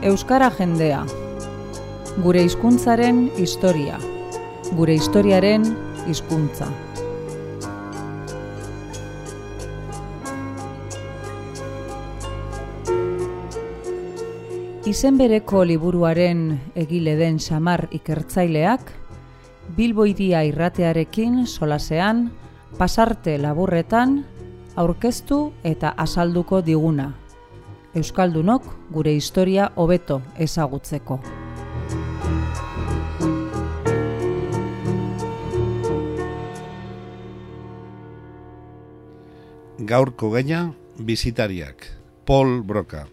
Euskara jendea. Gure hizkuntzaren historia. Gure historiaren hizkuntza. Izen bereko liburuaren egile den Xamar ikertzaileak, Bilbo Hiria irratearekin solasean, pasarte laburretan, aurkeztu eta azalduko diguna. Euskaldunok gure historia hobeto ezagutzeko. Gaurko gaia, bisitariak. Paul Broca.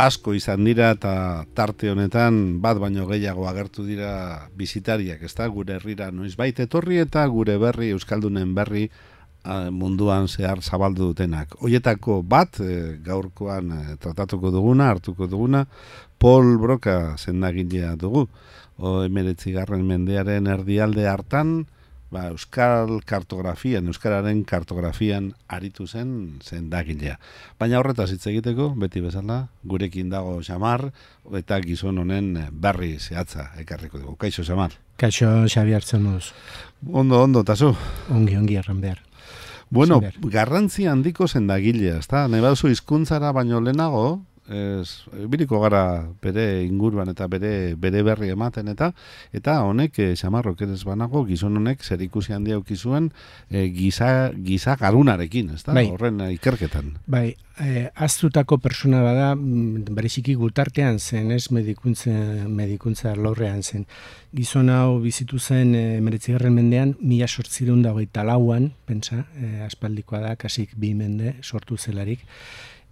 Asko izan dira eta tarte honetan bat baino gehiago agertu dira bisitariak, ezta? Gure herrira noizbait etorri eta gure berri, euskaldunen berri munduan zehar zabaldu dutenak. Hoietako bat gaurkoan tratatuko duguna, hartuko duguna, Paul Broca sendagilea dugu. 19. mendearen erdialde hartan, euskal kartografian, euskararen kartografian aritu zen sendagilea. Baina horretaz hitz egiteko, beti bezala, gurekin dago Xamar, eta gizon honen berri zehatza ekarriko dugu. Kaixo, Xamar. Kaixo, Xabi hartzen moduz. Ondo, tazu. Ongi erran behar. Bueno, garrantzi handiko sendagilea, ezta? Nahi baduzu hizkuntzara baino lehenago, biriko gara bere inguruan eta bere berri ematen eta honek, Xamarrok ez banago, gizon honek zerikusi handia auki zuen giza garunarekin, ezta? Bai. Horren ikerketan. Bai, aztutako persona bada, bereziki gutartean zen, ez medikuntza lorrean zen. Gizon hau bizitu zen 19. mendean, 1824an, pentsa, aspaldikoa da, kasik 2 mende sortu zelarik,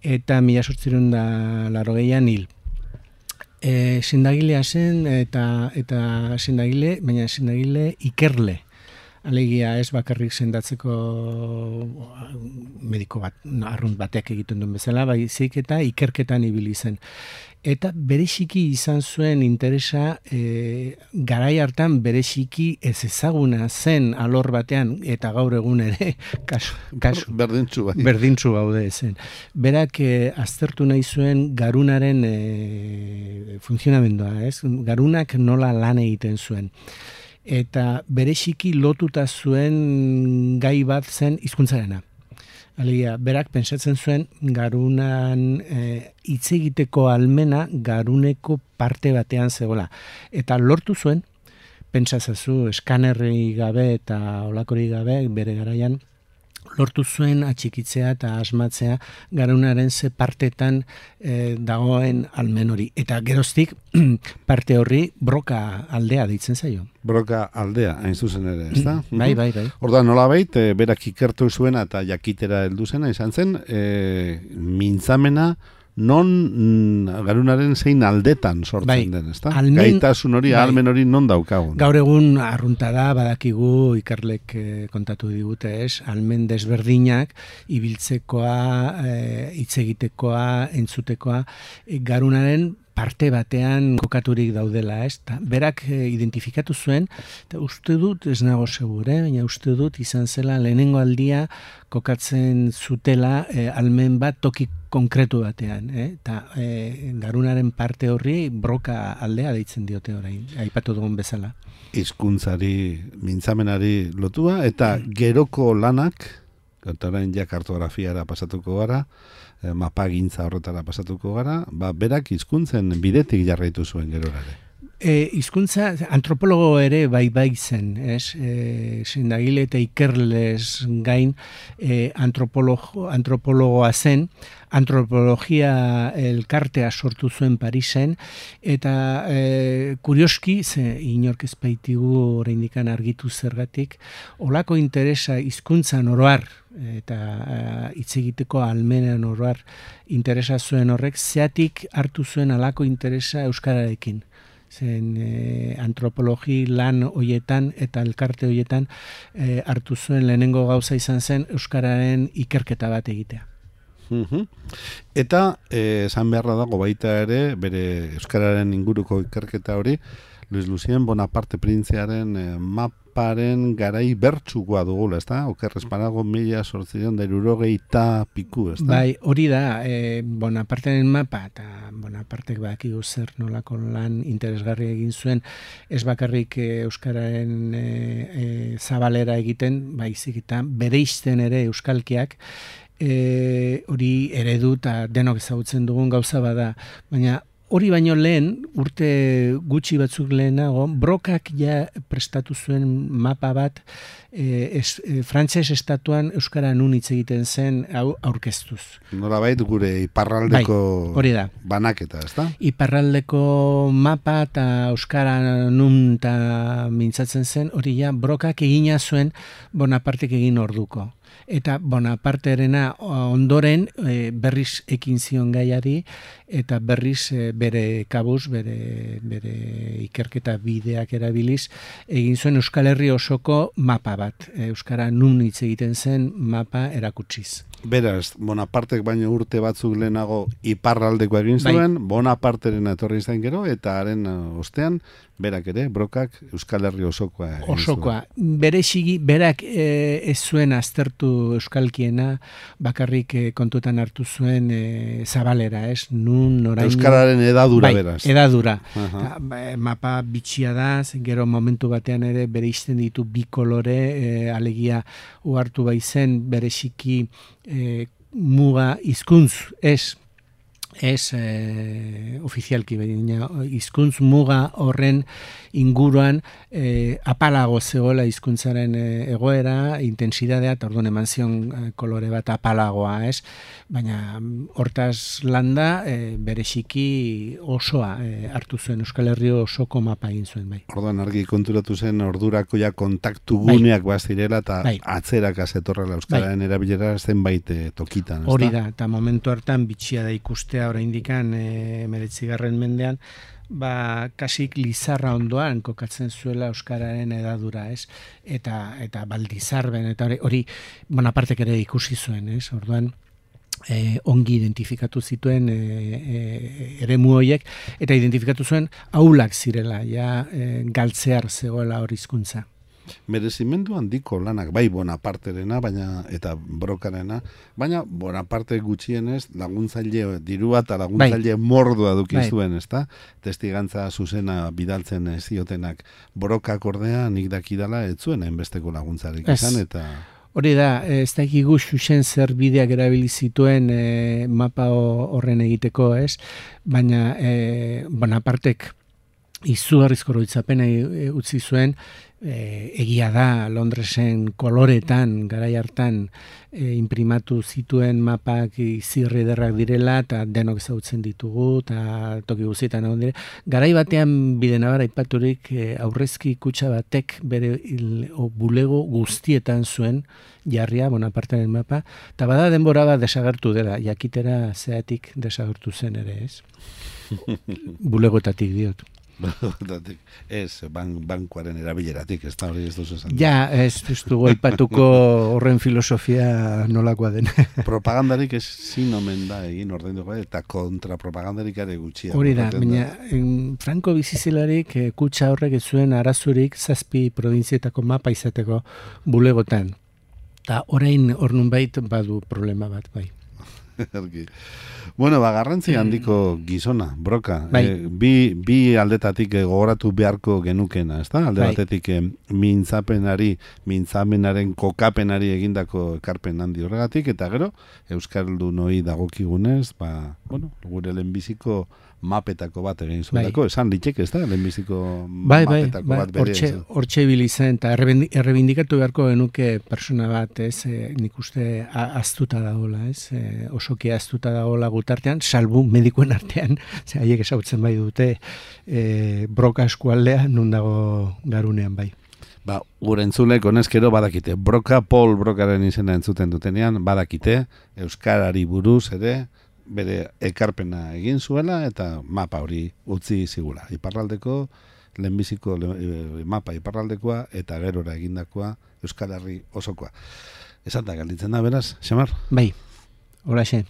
eta 1880an hil. Sendagilea zen eta sendagile, baina sendagile ikerle. Alegia ez bakarrik sendatzeko mediko bat, arrunt batek egiten duen bezala, baizik eta ikerketan ibili zen. Eta bereziki izan zuen interesa, garai hartan bereziki ez ezaguna zen alor batean, eta gaur egun ere, kasu berdintzu gaude zen. Berak aztertu nahi zuen garunaren funtzionamendua, ez? Garunak nola lan egiten zuen. Eta bereziki lotuta zuen gai bat zen hizkuntzarena. Alegia, berak pentsatzen zuen garunan hitz egiteko almena garuneko parte batean zegoela. Eta lortu zuen, pentsatzen eskanerri gabe eta olakori gabe bere garaian, lortu zuen atxikitzea eta asmatzea garunaren ze partetan dagoen almen hori. Eta geroztik parte horri Broca aldea deitzen zaio. Broca aldea, hain zuzen ere, ezta? Bai. Orda nolabait, berak ikertu zuena eta jakitera heldu zena izan zen, mintzamena non garunaren zein aldetan sortzen den, ezta? Gaitasun hori, ahalmen hori non daukagun. Gaur egun arrunta da, badakigu ikerlek kontatu digute, ez? Ahalmen desberdinak, ibiltzekoa, hitz egitekoa, entzutekoa, garunaren parte batean kokaturik daudela, ez? Berak identifikatu zuen, eta uste dut, ez nago segure, baina uste dut izan zela lehenengo aldia kokatzen zutela almen bat toki konkretu batean, eta garunaren parte horri Broca aldea deitzen diote orain, aipatu dugun bezala. Hizkuntzari, mintzamenari lotua, eta geroko lanak, eta orain ja kartografiara pasatuko gara, mapagintza horretara pasatuko gara, berak hizkuntzen bidetik jarraitu zuen gerorare. Hizkuntza antropologo ere bai zen, ez? Sendagile eta ikerlez gain antropologoa zen, antropologia elkartea sortu zuen Parisen, eta kurioski, inork ez baitigu oraindikan argitu zergatik, olako interesa hizkuntzan oroar, eta hitz egiteko almenean oroar interesa zuen horrek, zeatik hartu zuen alako interesa euskararekin. Zen antropologi lan hoietan eta elkarte hoietan hartu zuen lehenengo gauza izan zen euskararen ikerketa bat egitea. Eta esan beharra dago baita ere, bere euskararen inguruko ikerketa hori, Luis Lucien Bonaparte printzearen maparen garai bertsukoa dugula, ezta? Oker espanago 1860 piku, ezta? Bai, hori da, Bonaparteren mapa, eta Bonapartek badakigu zer nolako lan interesgarri egin zuen, ez bakarrik euskararen zabalera egiten, baizik eta bereizten ere euskalkiak, hori eredu eta denok ezagutzen dugun gauza bada, baina hori baino lehen, urte gutxi batzuk lehenago, Brokak ja prestatu zuen mapa bat frantses estatuan euskara nun hitz egiten zen aurkeztuz. Nolabait gure iparraldeko hori da. Banaketa, ezta? Iparraldeko mapa eta euskara nun eta mintzatzen zen, hori ja Brokak egina zuen Bonapartek egin orduko. Eta Bonaparterena ondoren berriz ekin zion gaiari eta berriz bere kabuz, bere ikerketa bideak erabiliz, egin zuen Euskal Herri osoko mapa bat. Euskara nun hitz egiten zen mapa erakutsiz. Beraz, Bonapartek baino urte batzuk lehenago iparraldeko egin zuen, Bonaparteren etorri izan gero, eta haren ostean, berak ere, Brokak Euskal Herri osokoa egin zuen. Osokoa. Bereziki, berak ez zuen aztertu euskalkiena, bakarrik kontutan hartu zuen zabalera, ez? Nun, noraino... Euskararen edadura, beraz. Edadura. Mapa bitxia da, gero momentu batean ere bere izten ditu bi kolore, alegia uhartu baizen, bereziki muga hizkuntz ez ofizialki baina hizkuntz muga horren inguruan apalago zegoela hizkuntzaren egoera, intentsidadea, eta orduan eman zion kolore bat apalagoa, ez? Baina hortaz landa bereziki osoa hartu zuen, Euskal Herri osoko mapa egin zuen, bai. Orduan argi konturatu zen ordurako ja kontaktu guneak bazirela eta atzeraka zetorrela euskararen erabilera zenbait tokitan, ezta? Hori da, eta momentu hartan bitxia da ikustea oraindikan 19. mendean, kasik Lizarra ondoan kokatzen zuela euskararen edadura, ez? Eta Baldizarben, eta hori Bonapartek ere ikusi zuen, ez? Orduan ongi identifikatu zituen eremu horiek, eta identifikatu zuen aulak zirela, ja galtzear zegoela hori hizkuntza. Merezimendu handiko lanak, bai Bonaparterena, baina eta Brokarena, baina Bonaparte gutxienez laguntzaile dirua eta laguntzaile mordua duki zuen, ezta? Testigantza zuzena bidaltzen ziotenak. Brokak ordea nik dakidala ez zuen hainbesteko laguntzarik izan, eta... Hori da, ez dakigu xuxen zer bideak erabili zituen mapa horren egiteko, ez? Baina Bonapartek izugarrizko oroitzapena utzi zuen, egia da Londresen koloretan, garai hartan imprimatu zituen mapak izirri ederrak direla, eta denok ezagutzen ditugu, eta toki guztietan egon dire. Garai batean bidenabara aipaturik aurrezki kutxa batek bere bulego guztietan zuen jarria Bonaparteren mapa, eta bada denbora bat desagertu dela, jakitera zeatik desagertu zen ere, ez? Bulegoetatik diot. Ez, bankuaren erabileratik, ez da hori ez duzu esan. Ja, ez dugu aipatuko horren filosofia nolakoa den. Propagandarik ez zinomen da egin ordainduko, eta kontrapropagandarik ere gutxia. Hori da, baina Franco bizizilarik kutxa horrek ez zuen arazurik 7 probintzietako mapa izateko bulegotan. Eta orain hor nunbait badu problema bat, bai. Bueno, garrantzi handiko gizona, Broka. Bi aldetatik gogoratu beharko genukena, ezta? Alde batetik mintzamenaren kokapenari egindako ekarpen handi horregatik, eta gero, euskaldunoi dagokigunez, gure lehenbiziko mapetako bat egin zuelako, esan litzek, ez da, lehenbiziko mapetako bat bere. Hortxe bilizen, eta errebindikatu beharko genuke persona bat, ez, nik uste aztuta dagoela, ez, osoki aztuta dagoela gutartean, salbu medikuen artean, haiek ezagutzen bai dute Broka eskualdea nun dago garunean bai. Gure entzulek honezkero badakite, Paul Brokaren izena entzuten dutenean, badakite, euskarari buruz ere, bere ekarpena egin zuela eta mapa hori utzi zigula. Iparraldeko, lehenbiziko mapa iparraldekoa eta gerora egindakoa Euskal Herri osokoa. Esan da galditzen da, beraz, Xamar? Bai, hola xe.